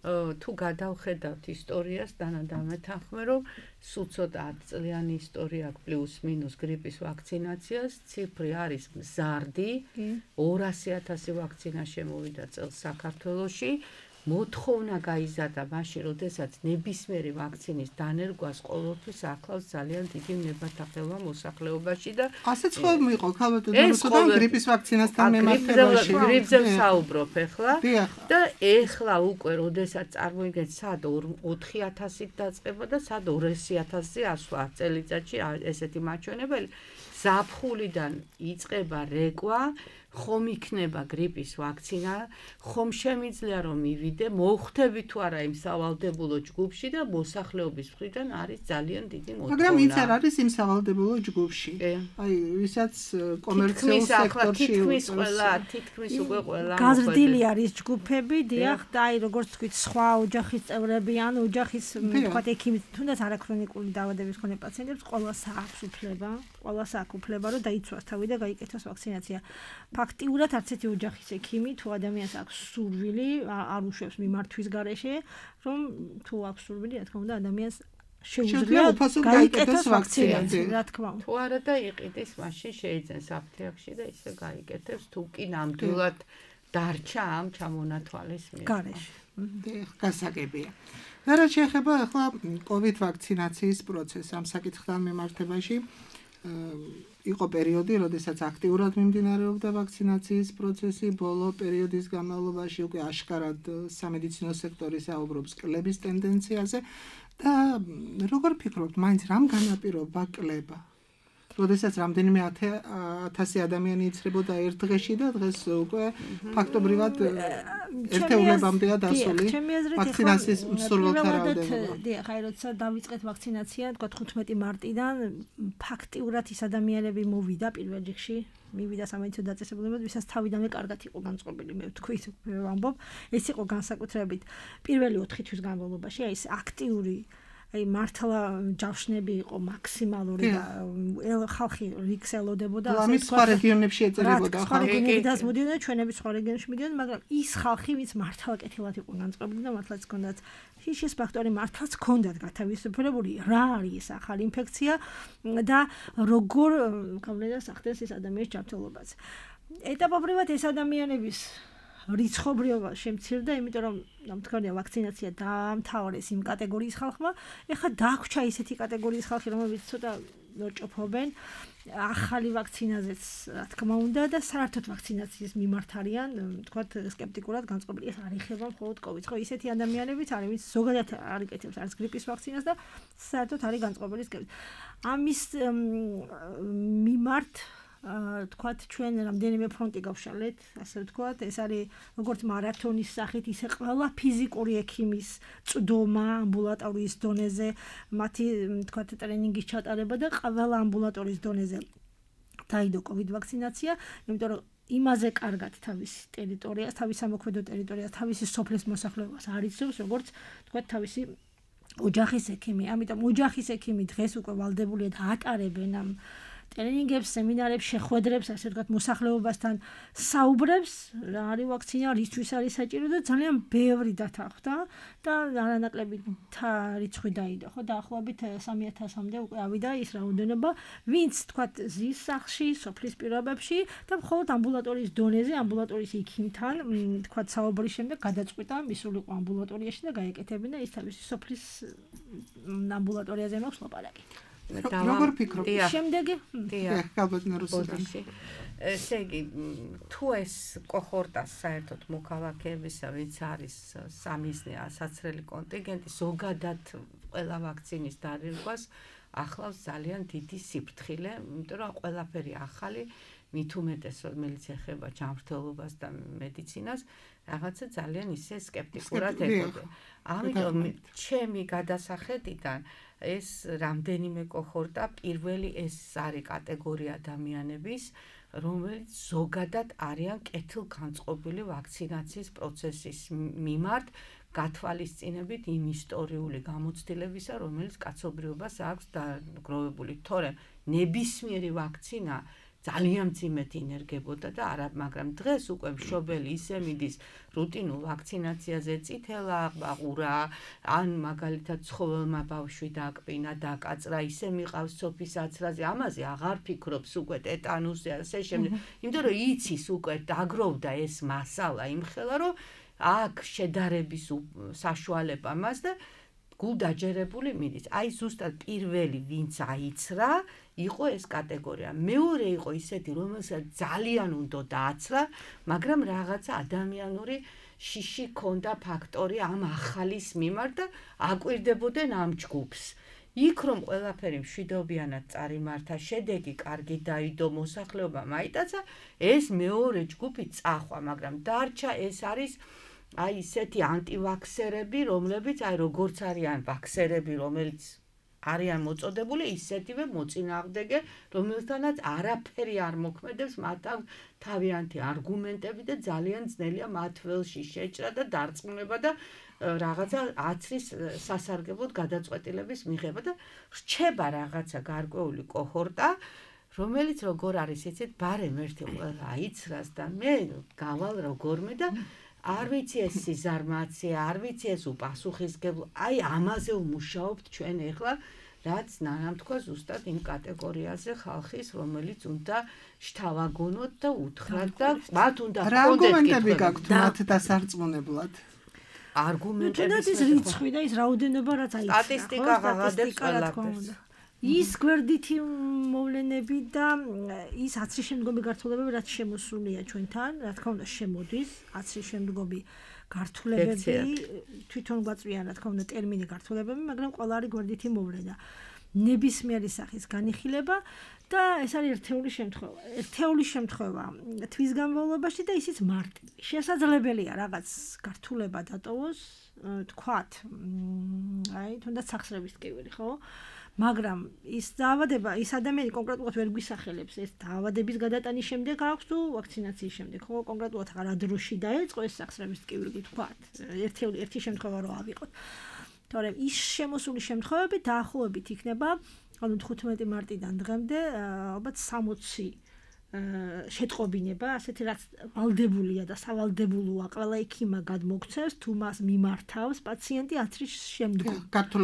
თუ გადავხედავთ ისტორიას, დანადამე თანხმე, რომ სულ ცოტა 10 წლიანი ისტორია აქვს პლუს მინუს გრიპის ვაქცინაციას, ციფრი არის მზარდი, 200,000 ვაქცინა შემოვიდა წელს საქართველოში. მოთხოვნა გაიზარდა მაშინ, როდესაც ნებისმიერი ვაქცინის დანერგვას ყოველთვის ახლავს ძალიან დიდი ნებათახელვა მოსახლეობაში და ასეც ხომ იყო ქალბატონო გრიპის ვაქცინასთან მემართებაში. გრიპზე ვსაუბრობ ახლა და ახლა უკვე როდესაც წარმოიდგინეთ სად 4,000-ით დაწყება და სად 200,000-ზე ასვლა წელიწადში ესეთი მაჩვენებელი ზაფხულიდან იწყება რეკვა ხომ იქნება გრიპის ვაქცინა, ხომ შემიძლია რომ მივიდე, მოხვდები თუ არა იმ სავალდებულო ჯგუფში და მოსახლეობის მხრიდან არის ძალიან დიდი მოთხოვნა. მაგრამ იც არ არის იმ სავალდებულო ჯგუფში. აი, ვისაც კომერციულ სექტორში თითქმის უკვე ყველა გაზრდილი არის ჯგუფები, დიახ, და აი როგორც თქვით, სხვა ოჯახის წევრები, ან ოჯახის თქვათ ექიმი, თუნდაც არაქრონიკული დაავადების მქონე პაციენტებს ყველას აქვს უფლება, რომ დაიცვას თავი და გაიკეთოს ვაქცინაცია. ფაქტიურად არც ერთი ოჯახის ექიმი თუ ადამიანს აქვს სურვილი, არ უშვებს მიმართვის გარეშე, რომ თუ აქვს სურვილი, რა თქმა უნდა, ადამიანს შეუძლია გაიკეთოს ვაქცინაცია, რა თქმა უნდა. თუ არა და იყიდეს, მაშინ შეიძენს აფთიაქში და ისე გაიკეთებს, თუ კი ნამდვილად დარჩა ამ ჩამონათვალის გარეშე. გასაგებია. და რა შეეხება ახლა COVID ვაქცინაციის პროცესს ამ საკითხთან მიმართებაში, იყო პერიოდი, როდესაც აქტიურად მიმდინარეობდა ვაქცინაციის პროცესი, ბოლო პერიოდის განმავლობაში უკვე აშკარად სამედიცინო სექტორი საუბრობს კლების ტენდენციაზე და როგორ ფიქრობთ, მაინც რამ განაპირობა კლება? როდესაც რამდენიმე 1000 ადამიანი იცრებოდა ერთ დღეში და დღეს უკვე ფაქტობრივად ერთეულებამდეა დასული ვაქცინაციის მსურველთა რაოდენობა. დიახ, აი როცა დავიწყეთ ვაქცინაცია, თქვა 15 მარტიდან ფაქტიურად ის ადამიანები მოვიდა პირველ რიგში, მივიდა სამედიცინო დაწესებულებად, ვისაც თავიდანვე კარგად იყო განწყობილი, მე ვთქვით, მე ვამბობ, ეს იყო განსაკუთრებით პირველი 4 თვის განმავლობაში, აი ეს აქტიური აი მართლა ჯავშნები იყო მაქსიმალური და ხალხი რიგს ელოდებოდა ამის სხვა რეგიონებში ეწელებოდა ხალხი რეგიონებიდან მოდიოდა ჩვენების სხვა რეგიონებში მიდიოდა მაგრამ ის ხალხი ვინც მართლა კეთილად იყო განწყობილი და მართლაც ჰქონდათ შიშის ფაქტორი მართლაც ჰქონდათ გათავისუფლებული რა არის ეს ახალი ინფექცია და როგორ გავლენას ახდენს ეს ადამიანის ჯანმრთელობას ეტაპობრივად ეს ადამიანების რიცხობრიობა შემცირდა, იმიტომ რომ თქვენია ვაქცინაცია დაამთავრეს იმ კატეგორიის ხალხმა, ეხლა დაგვრჩა ისეთი კატეგორიის ხალხი, რომლებიც ცოტა ნოჭოფობენ ახალი ვაქცინაზეც, რა თქმა უნდა და საერთოდ ვაქცინაციის მიმართ არიან, თქვათ სკეპტიკურად განწყობილი. ეს არ ეხება მხოლოდ COVID-ს, ხო, ისეთი ადამიანებიც არის, ვინც ზოგადად არ იკეთებს არც გრიპის ვაქცინას და საერთოდ არის განწყობილი სკეპტიკ. ამის მიმართ თქვათ ჩვენ რამდენიმე ფრონტი გავშალეთ, ასე ვთქვათ, ეს არის როგორც მარათონის სახით, ისე ყველა ფიზიკური ექიმის წვდომა ამბულატორიის დონეზე, მათი თქვათ ტრენინგის ჩატარება და ყველა ამბულატორიის დონეზე დაიდო COVID ვაქცინაცია, იმიტომ რომ იმაზე კარგად თავის ტერიტორიას, თავის სამოქმედო ტერიტორიას, თავისი სოფლის მოსახლეობას არ იცნობს, როგორც თქვა თავისი ოჯახის ექიმი. ამიტომ ოჯახის ექიმი დღეს უკვე ვალდებულია და ატარებენ ამ ტრენინგებს, სემინარებს, შეხვედრებს, ასე ვთქვათ, მოსახლეობასთან საუბრებს, რა არის ვაქცინა, რისთვის არის საჭირო და ძალიან ბევრი დათანხმდა და არანაკლები რიცხვი დაიდო, ხო, დაახლოებით 3000-მდე უკვე ავიდა ის რაოდენობა, ვინც ვთქვათ, ზის სახლში, სოფლის პირობებში და მხოლოდ ამბულატორიის დონეზე, ამბულატორიის ექიმთან, ვთქვათ, საუბრის შემდეგ გადაწყვიტა მისულიყო ამბულატორიაში და გაეკეთებინა ის თავისი სოფლის ამბულატორიაზე მაქვს ლაპარაკი. როგორ ფიქრობ? შემდეგი? ალბათ რუსუდან. ესე იგი, თუ ეს კოჰორტას საერთოდ მოქალაქეებისა, ვინც არის სამიზნე ასაცრელი კონტინგენტი, ზოგადად ყველა ვაქცინის დარღვევას ახლავს ძალიან დიდი სიფრთხილე, იმიტომ რომ ყველაფერი ახალი, მით უმეტეს რომელიც ეხება ჯანმრთელობას და მედიცინას, რაღაცა ძალიან ისე სკეპტიკურად ეკოდა. ამიტომ ჩემი გადასახედიდან ეს რამდენიმე კოჰორტა პირველი ეს არის კატეგორია ადამიანების, რომელიც ზოგადად არიან კეთილგანწყობილი ვაქცინაციის პროცესის მიმართ, გათვალისწინებით იმ ისტორიული გამოცდილებისა, რომელიც კაცობრიობას აქვს დაგროვებული. თორემ ნებისმიერი ვაქცინა ძალიან მძიმედ ინერგებოდა და არა, მაგრამ დღეს უკვე მშობელი ისე მიდის რუტინულ ვაქცინაციაზე, წითელა აყურა, ან მაგალითად ცხოველმა ბავშვი დააკპინა, დაკაწრა, ისე მიყავს სოფის აცრაზე, ამაზე აღარ ფიქრობს უკვე ტეტანუსზე, ასე შემდეგ. იმიტომ რომ იცის უკვე დაგროვდა ეს მასალა იმხელა, რომ აქ შედარების საშუალება მას და გულდაჯერებული მიდის. აი ზუსტად პირველი ვინც აიცრა იყო ეს კატეგორია. მეორე იყო ისეთი, რომელსაც ძალიან უნდა დააცრა, მაგრამ რაღაცა ადამიანური შიში ქონდა ფაქტორი ამ ახალის მიმართ და აკვირდებოდნენ ამ ჯგუფს. იქ რომ ყველაფერი მშვიდობიანად წარიმართა, შედეგი კარგი დაიდო, მოსახლეობა მაიტაცა, ეს მეორე ჯგუფი წახვა, მაგრამ დარჩა ეს არის აი ისეთი ანტივაქსერები, რომლებიც აი როგორც არიან ვაქსერები, რომელიც არიან მოწოდებული, ისეთივე მოწინააღმდეგე, რომელთანაც არაფერი არ მოქმედებს, მათ თავიანთი არგუმენტები და ძალიან ძნელია მათ ველში შეჭრა და დარწმუნება და რაღაცა აცრის სასარგებლოდ გადაწყვეტილების მიღება და რჩება რაღაცა გარკვეული კოჰორტა, რომელიც როგორ არის იცით, ბარემ ერთი ყველა აიცრას და მე გავალ როგორმე და არ ვიცი ეს სიზარმაცია, არ ვიცი ეს უპასუხისმგებლო, აი ამაზე ვმუშაობთ ჩვენ ახლა, რაც ნანამ თქვა ზუსტად იმ კატეგორიაზე ხალხის, რომელიც უნდა შთავაგონოთ და უთხრათ და მათ უნდა რა არგუმენტები გაქვთ მათ დასარწმუნებლად? არგუმენტები ის რიცხვი და ის რაოდენობა რაც აიცრა. სტატისტიკა ღაღადებს ყველაფერს. ის გვერდითი მოვლენები და ის აცრის შემდგომი გართულებები რაც შემოსულია ჩვენთან, რა თქმა უნდა შემოდის, აცრის შემდგომი გართულებები თვითონ გვაწვიან, რა თქმა უნდა, ტერმინი გართულებები, მაგრამ ყველა არის გვერდითი მოვლენა. ნებისმიერი სახის განიხილება და ეს არის ერთეული შემთხვევა თვის განმავლობაში და ისიც მარტივი. შესაძლებელია რაღაც გართულება დატოვოს, თქვათ, აი, თუნდაც სახსრების ტკივილი, ხო? მაგრამ ის დაავადება, ის ადამიანი კონკრეტულად ვერ გვისახელებს ეს დაავადების გადატანის შემდეგ აქვს თუ ვაქცინაციის შემდეგ, ხო, კონკრეტულად რა დროში დაეწყო ეს სახსრების ტკივილი, თქვათ, ერთი შემთხვევა რო ავიღოთ. თორემ ის შემოსული შემთხვევები დაახლოებით იქნება, ანუ 15 მარტიდან დღემდე ალბათ 60 შეტყობინება, ასეთი რაც ვალდებულია და სავალდებულოა ყველა ექიმა გადმოგცემს თუ მას მიმართავს პაციენტი აცრის შემდგომ.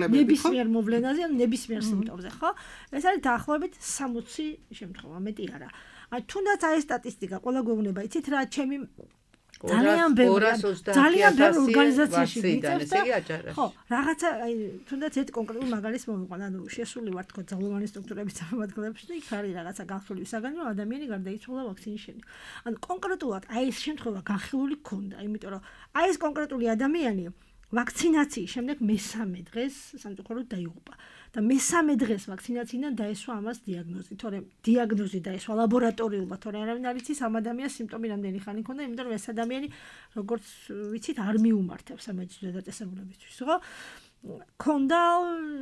ნებისმიერ მოვლენაზე, ან ნებისმიერ სიმპტომზე, ხო? ეს არის დაახლოებით 60 შემთხვევა, მეტი არა. თუნდაც აი სტატისტიკა ყველა გვეუბნება, იცით რა, ჩემი ძალიან ბევრი ორგანიზაციაში ვიცავს და ხო, რაღაცა აი თუნდაც ერთ კონკრეტულ მაგალითს მოვიყვან, ანუ შესული ვარ თქო ძალოვანი სტრუქტურების წარმომადგენლებში და იქ არის რაღაცა განხილული საგანი, რომ ადამიანი გარდაიცვალა ვაქცინის შემდეგ. ანუ კონკრეტულად აი ეს შემთხვევა განხილული ქონდა, იმიტომ რომ აი ეს კონკრეტული ადამიანი ვაქცინაციის შემდეგ მესამე დღეს სამწუხაროდ დაიღუპა და მესამე დღეს ვაქცინაციიდან დაესვა ამას დიაგნოზი, თორემ დიაგნოზი დაესვა ლაბორატორიულად, თორემ არავინ არ იცის ამ ადამიანის სიმპტომი რამდენი ხანი ჰქონდა, იმიტომ რომ ეს ადამიანი როგორც ვიცით არ მიუმართებს სამედიცინო დაწესებულებისთვის, ხო? ქონდა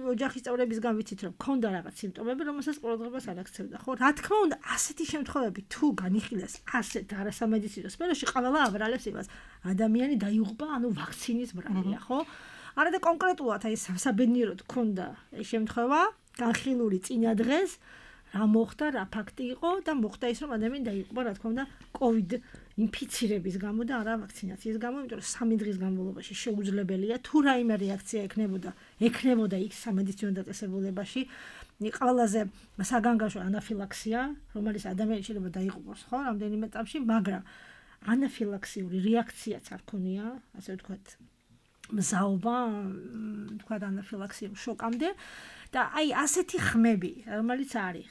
ოჯახის წევრებისგან ვიცით რომ ქონდა რაღაც სიმპტომები რომელსაც ყურადღებას არ აქცევდა ხო რა თქმა უნდა ასეთი შემთხვევები თუ განიხილეს ასეთ არასამედიცინო სფეროში ყველა აბრალებს იმას ადამიანი დაიღუპა ანუ ვაქცინის ბრალია ხო არა და კონკრეტულად აი საბედნიეროდ ქონდა ეს შემთხვევა განხილული წინა დღეს რა მოხდა რა ფაქტი იყო და მოხდა ის რომ ადამიანი დაიღუპა რა თქმა უნდა COVID ინფიცირების გამო და არა ვაქცინაციის გამო, იმიტომ რომ 3 დღის განმავლობაში შეუძლებელია თუ რაიმე რეაქცია ექნებოდა იქ სამედიცინო დაწესებულებაში, ყველაზე საგანგაშო ანაფილაქსია, რომელიც ადამიანს შეიძლება დაიღუპოს, ხო, რამდენიმე წამში, მაგრამ ანაფილაქსიური რეაქციაც არ ქონია, ასე ვთქვათ, მზაობა, ვთქვათ, ანაფილაქსიურ შოკამდე და აი ასეთი ხმები, რომელიც არის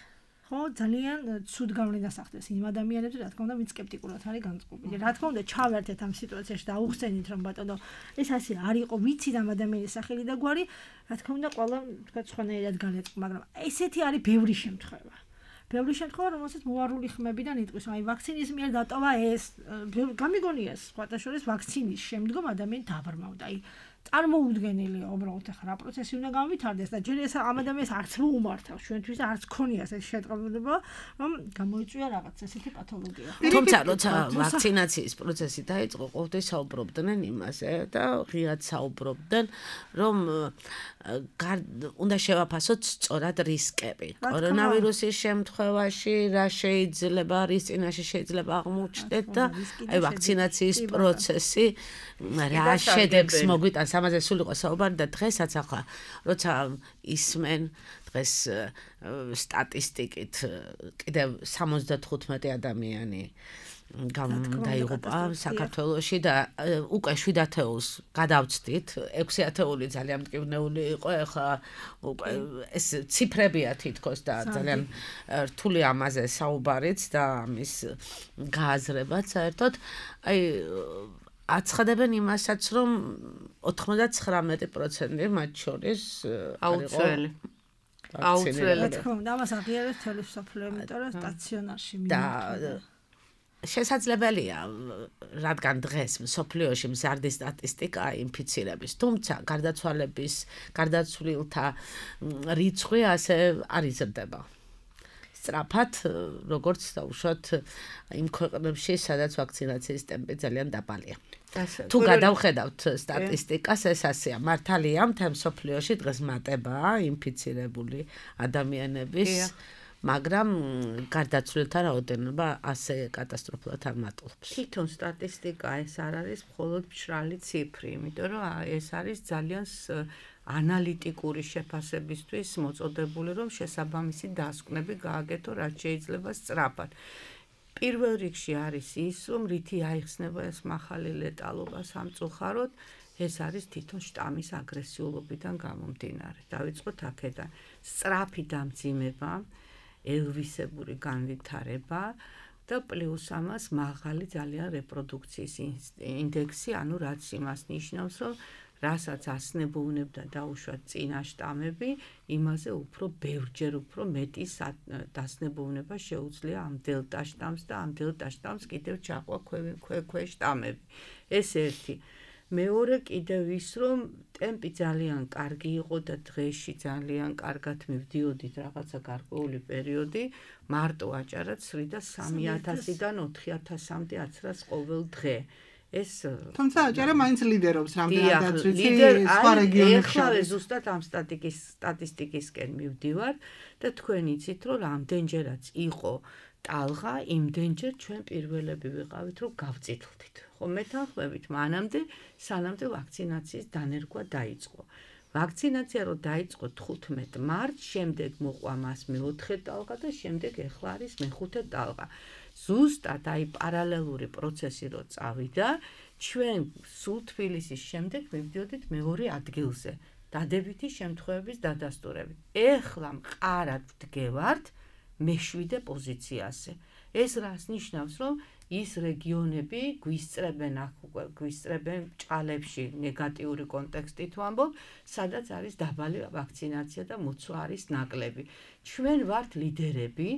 ხო ძალიან ცუდ გავლენას ახდენს იმ ადამიანებს რა თქმა უნდა ვინც სკეპტიკურად არის განწყობილი რა თქმა უნდა ჩავერთეთ ამ სიტუაციაში და აუხსენით რომ ბატონო ეს ასე არ იყო ვიცით ამ ადამიანის სახელი და გვარი რა თქმა უნდა ყველა თქვა სხვანაირად განეწყო მაგრამ ესეთი არის ბევრი შემთხვევა რომელსაც მოარული ხმებიდან იტყვის აი ვაქცინის მიერ დატოვა ეს გამიგონია სხვათა შორის ვაქცინის შემდგომ ადამიანი დაბრმავდა აი წარმოუდგენელია უბრალოდ ახლა რა პროცესი უნდა გამვითარდეს და ჯერ ეს ამ ადამიანს არც მოუმართავს ჩვენთვის არც ქონია ეს შეტყობილება რომ გამოიწვია რაღაც ესეთი პათოლოგია. თუმცა როცა ვაქცინაციის პროცესი დაიწყო, ყოველთვის საუბრობდნენ იმაზე და ღიად საუბრობდნენ რომ უნდა შევაფასოთ სწორად რისკები. კორონავირუსის შემთხვევაში რა შეიძლება რის წინაშე შეიძლება აღმოჩნდეთ და აი ვაქცინაციის პროცესი რა შედეგს მოგვიტანს ამაზე სულ იყო საუბარი და დღესაც ახლა როცა ისმენ დღეს სტატისტიკით კიდევ 75 ადამიანი დაიღუპა საქართველოში და უკვე 7 ათეულს გადავწდით 6 ათეული ძალიან მტკივნეული იყო ახლა უკვე ეს ციფრებია თითქოს და ძალიან რთული ამაზე საუბარიც და ამის გააზრებაც საერთოდ აი აცხადებენ იმასაც რომ 99% მათ შორის აუცილებელი რა თქმა უნდა ამას აღიარებს თელი სოფლიო იმიტომ რომ სტაციონარში მიმართება შესაძლებელია რადგან დღეს სოფლიოში მზარდი სტატისტიკაა ინფიცირების თუმცა გარდაცვლილთა რიცხვი ასე არ იზრდება სწრაფად როგორც დაუშვათ იმ ქვეყნებში სადაც ვაქცინაციის ტემპი ძალიან დაბალია თუ გადავხედავთ სტატისტიკას ეს ასეა მართალია მთელ სოფლიოში დღეს მატებაა ინფიცირებული ადამიანების მაგრამ გარდაცვლილთა რაოდენობა ასე კატასტროფულად არ მატულობს. თვითონ სტატისტიკა ეს არ არის მხოლოდ მშრალი ციფრი, იმიტომ რომ ეს არის ძალიან ანალიტიკური შეფასებისთვის მოწოდებული, რომ შესაბამისი დასკვნები გააკეთო, რაც შეიძლება სწრაფად. პირველ რიგში არის ის, რომ რითი აიხსნება ეს მახალი ლეტალობა სამწუხაროდ, ეს არის თვითონ შტამის აგრესიულობიდან გამომდინარე. დავიწყოთ აქედან. სწრაფი დამძიმება ელვისებური განვითარება და პლუს ამას მაღალი ძალიან რეპროდუქციის ინდექსი, ანუ რაც იმას ნიშნავს, რომ რასაც ასნებოვნებდა დაუშვათ წინა შტამები, იმაზე უფრო ბევრჯერ უფრო მეტი დასნებოვნება შეუძლია ამ დელტა შტამს და ამ დელტა შტამს კიდევ ჩაყვა ქვე შტამები. ეს ერთი. მეორე კიდევ ის რომ ტემპი ძალიან კარგი იყო და დღეში ძალიან კარგად მივდიოდით რაღაცა გარკვეული პერიოდი მარტო აჭარად სრიდა 3000-დან 4000-მდე აცრას ყოველ დღე ეს თუმცა აჭარა მაინც ლიდერობს რამდენადაც ვიცი სხვა რეგიონებში ახლა ზუსტად ამ სტატისტიკისკენ მივდივარ და თქვენ იცით რომ რამდენჯერაც იყო ტალღა იმდენჯერ ჩვენ პირველები ვიყავით რომ გავწითლდით ხო მეთანხმებით მანამდე სანამდე ვაქცინაციის დანერგვა დაიწყო ვაქცინაცია რო დაიწყო 15 მარტს შემდეგ მოყვა მას მე-4 ტალღა და შემდეგ ახლა არის მე-5 ტალღა ზუსტად აი პარალელური პროცესი რო წავიდა ჩვენ სულ თბილისის შემდეგ მივდიოდით მეორე ადგილზე დადებითი შემთხვევების დადასტურებით ეხლა მყარად ვდგევართ მე-7 პოზიციაზე. ეს რას ნიშნავს, რომ ის რეგიონები გვისწრებენ ჭალებში ნეგატიური კონტექსტით ვამბობ, სადაც არის დაბალი ვაქცინაცია და მოცვა არის ნაკლები. ჩვენ ვართ ლიდერები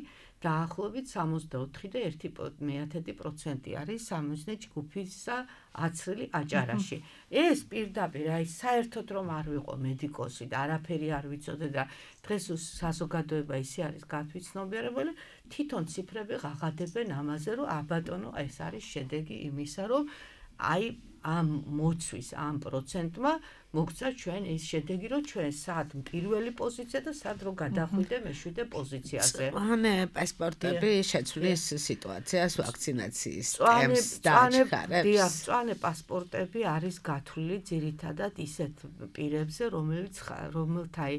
დაახლოებით 64.1% არის სამიზნე ჯგუფისა აცრილი აჭარაში. ეს პირდაპირ აი საერთოდ რომ არ ვიყო მედიკოსი და არაფერი არ ვიცოდე და დღეს საზოგადოება ისე არის გათვითცნობიერებული, თვითონ ციფრები ღაღადებენ ამაზე, რომ აბატონო ეს არის შედეგი იმისა, რომ აი ამ მოცვის ამ პროცენტმა მოგცა ჩვენ ის შედეგი, რომ ჩვენ სად პირველი პოზიცია და სად რო გადახვიდე მეშვიდე პოზიციაზე. მწვანე პასპორტები შეცვლის სიტუაციას ვაქცინაციის ტემპს დააჩქარებს. დიახ, მწვანე პასპორტები არის გათვლილი ძირითადად ისეთ პირებზე, რომელთა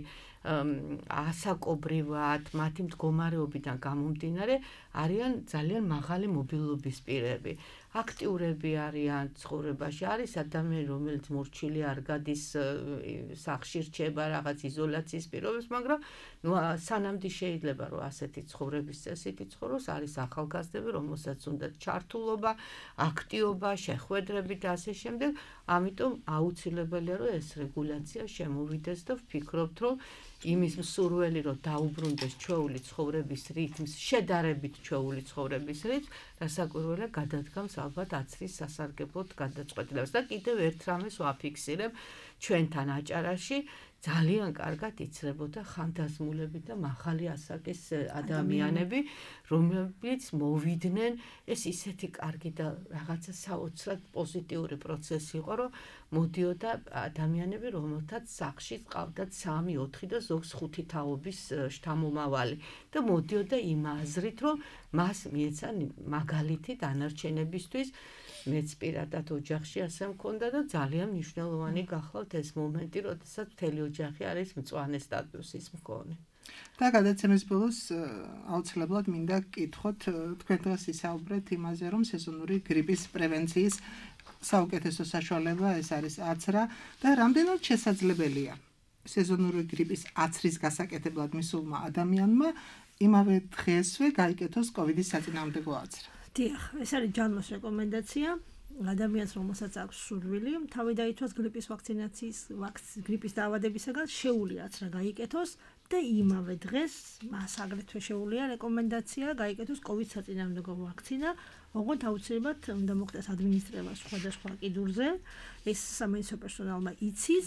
ასაკობრივად, მათი მდგომარეობიდან გამომდინარე არიან ძალიან მაღალი მობილობის პირები. აქტიურები არიან ცხოვრებაში, არის ადამიანი, რომელიც მორჩილი არ გადის სახლში რჩება რაღაც იზოლაციის პირობებს, მაგრამ სანამდე შეიძლება რომ ასეთი ცხოვრების წესით იცხოვროს, არის ახალგაზრდები, რომელსაც უნდა ჩართულობა, აქტიობა, შეხვედრები და ასე შემდეგ, ამიტომ აუცილებელია რომ ეს რეგულაცია შემოვიდეს და ვფიქრობთ რომ იმის მსურველი რომ დაუბრუნდეს ჩვეული ცხოვრების რითმს, შედარებით ჩვეული ცხოვრების რითმს, რასაკვირველია გადადგამს ალბათ აცრის სასარგებლოდ გადაწყვეტილებას და კიდევ ერთ რამეს ვაფიქსირებ ჩვენთან აჭარაში ძალიან კარგად იცრებოდა ხანდაზმულები და მაღალი ასაკის ადამიანები, რომლებიც მოვიდნენ, ეს ისეთი კარგი და რაღაცა საოცრად პოზიტიური პროცესი იყო, რომ მოდიოდა ადამიანები, რომელთაც სახლში ყავდათ 3-4 და ზოგს 5 თაობის შთამომავალი და მოდიოდა იმ აზრით, რომ მას მიეცა მაგალითი დანარჩენებისთვის. მეც პირადად ოჯახში ასე მქონდა და ძალიან მნიშვნელოვანი გახლავთ ეს მომენტი, როდესაც მთელი ოჯახი არის მწვანე სტატუსის მქონე. და გადაცემის ბოლოს აუცილებლად მინდა გკითხოთ, თქვენ დღეს ისაუბრეთ იმაზე, რომ სეზონური გრიპის პრევენციის საუკეთესო საშუალება ეს არის აცრა და რამდენად შესაძლებელია სეზონური გრიპის აცრის გასაკეთებლად მისულმა ადამიანმა იმავე დღესვე გაიკეთოს COVID-ის საწინააღმდეგო აცრა. დიახ, ეს არის ჯანმოს რეკომენდაცია ადამიანს, რომელსაც აქვს სურვილი, თავი დაითვას გრიპის ვაქცინაციის გრიპის დაავადებისაგან შეუძლია აცრა გაიკეთოს და იმავე დღეს მას აგრეთვე შეუძლია რეკომენდაცია გაიკეთოს COVID საწინააღმდეგო ვაქცინა, ოღონდ აუცილებლად უნდა მოხდეს ადმინისტრირება სხვადასხვა კიდურზე, ეს სამედიცინო პერსონალმა იცის.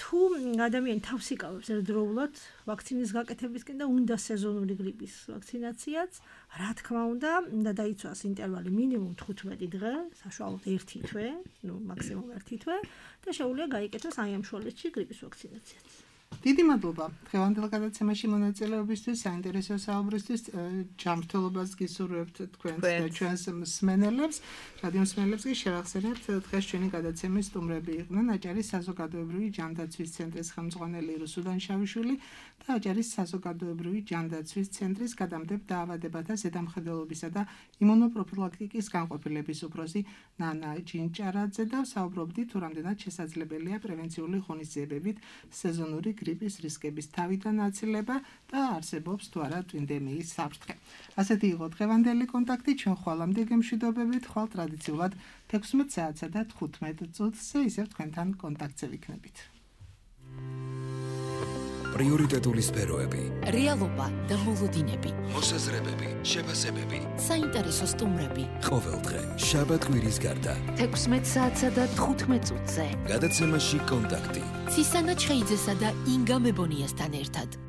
თუ ადამიანი თავს იკავებს ერთდროულად ვაქცინის გაკეთებისკენ და უნდა სეზონური გრიპის ვაქცინაციაც, რა თქმა უნდა დაიცვას ინტერვალი მინიმუმ 15 დღე, საშუალოდ 1 თვე, მაქსიმუმ 1 თვე და შეუძლია გაიკეთოს აი ამ შუალედში გრიპის ვაქცინაციაც. დიდი მადლობა დღევანდელ გადაცემაში მონაწილეობისთვის, საინტერესო საუბრისთვის, ჯანმრთელობას გისურვებთ თქვენს და ჩვენს მსმენელებს, რადიო მსმენელებს კი შევახსენებთ, დღეს ჩვენი გადაცემის სტუმრები იყვნენ აჭარის საზოგადოებრივი ჯანდაცვის ცენტრის ხელმძღვანელი რუსუდან შავიშვილი და აჭარის საზოგადოებრივი ჯანდაცვის ცენტრის გადამდებარე დაავადებათა ზედამხედველობისა და იმუნოპროფილაქტიკის განყოფილების უფროსი ნანა ჯინჭარაძე და საუბრობდით თუ რამდენად შესაძლებელია პრევენციული ღონისძიებებით სეზონური გრიპის რისკების თავიდან აცილება და არსებობს თუ არა ტვინდემიის საფრთხე. ასეთი იყო დღევანდელი კონტაქტი, ჩვენ ხვალამდე გემშვიდობებით, ხვალ ტრადიციულად 16 საათსა და 15 წუთზე ისევ თქვენთან კონტაქტზე ვიქნებით. პრიორიტეტული სფეროები, რეალობა და მოლოდინები, მოსაზრებები, შეფასებები, საინტერესო სტუმრები. ყოველდღე შაბათ-კვირის გარდა 16 საათსა და 15 წუთზე. გადაცემაში კონტაქტი. ცისანა ჩხეიძესა და ინგა მებონიასთან ერთად.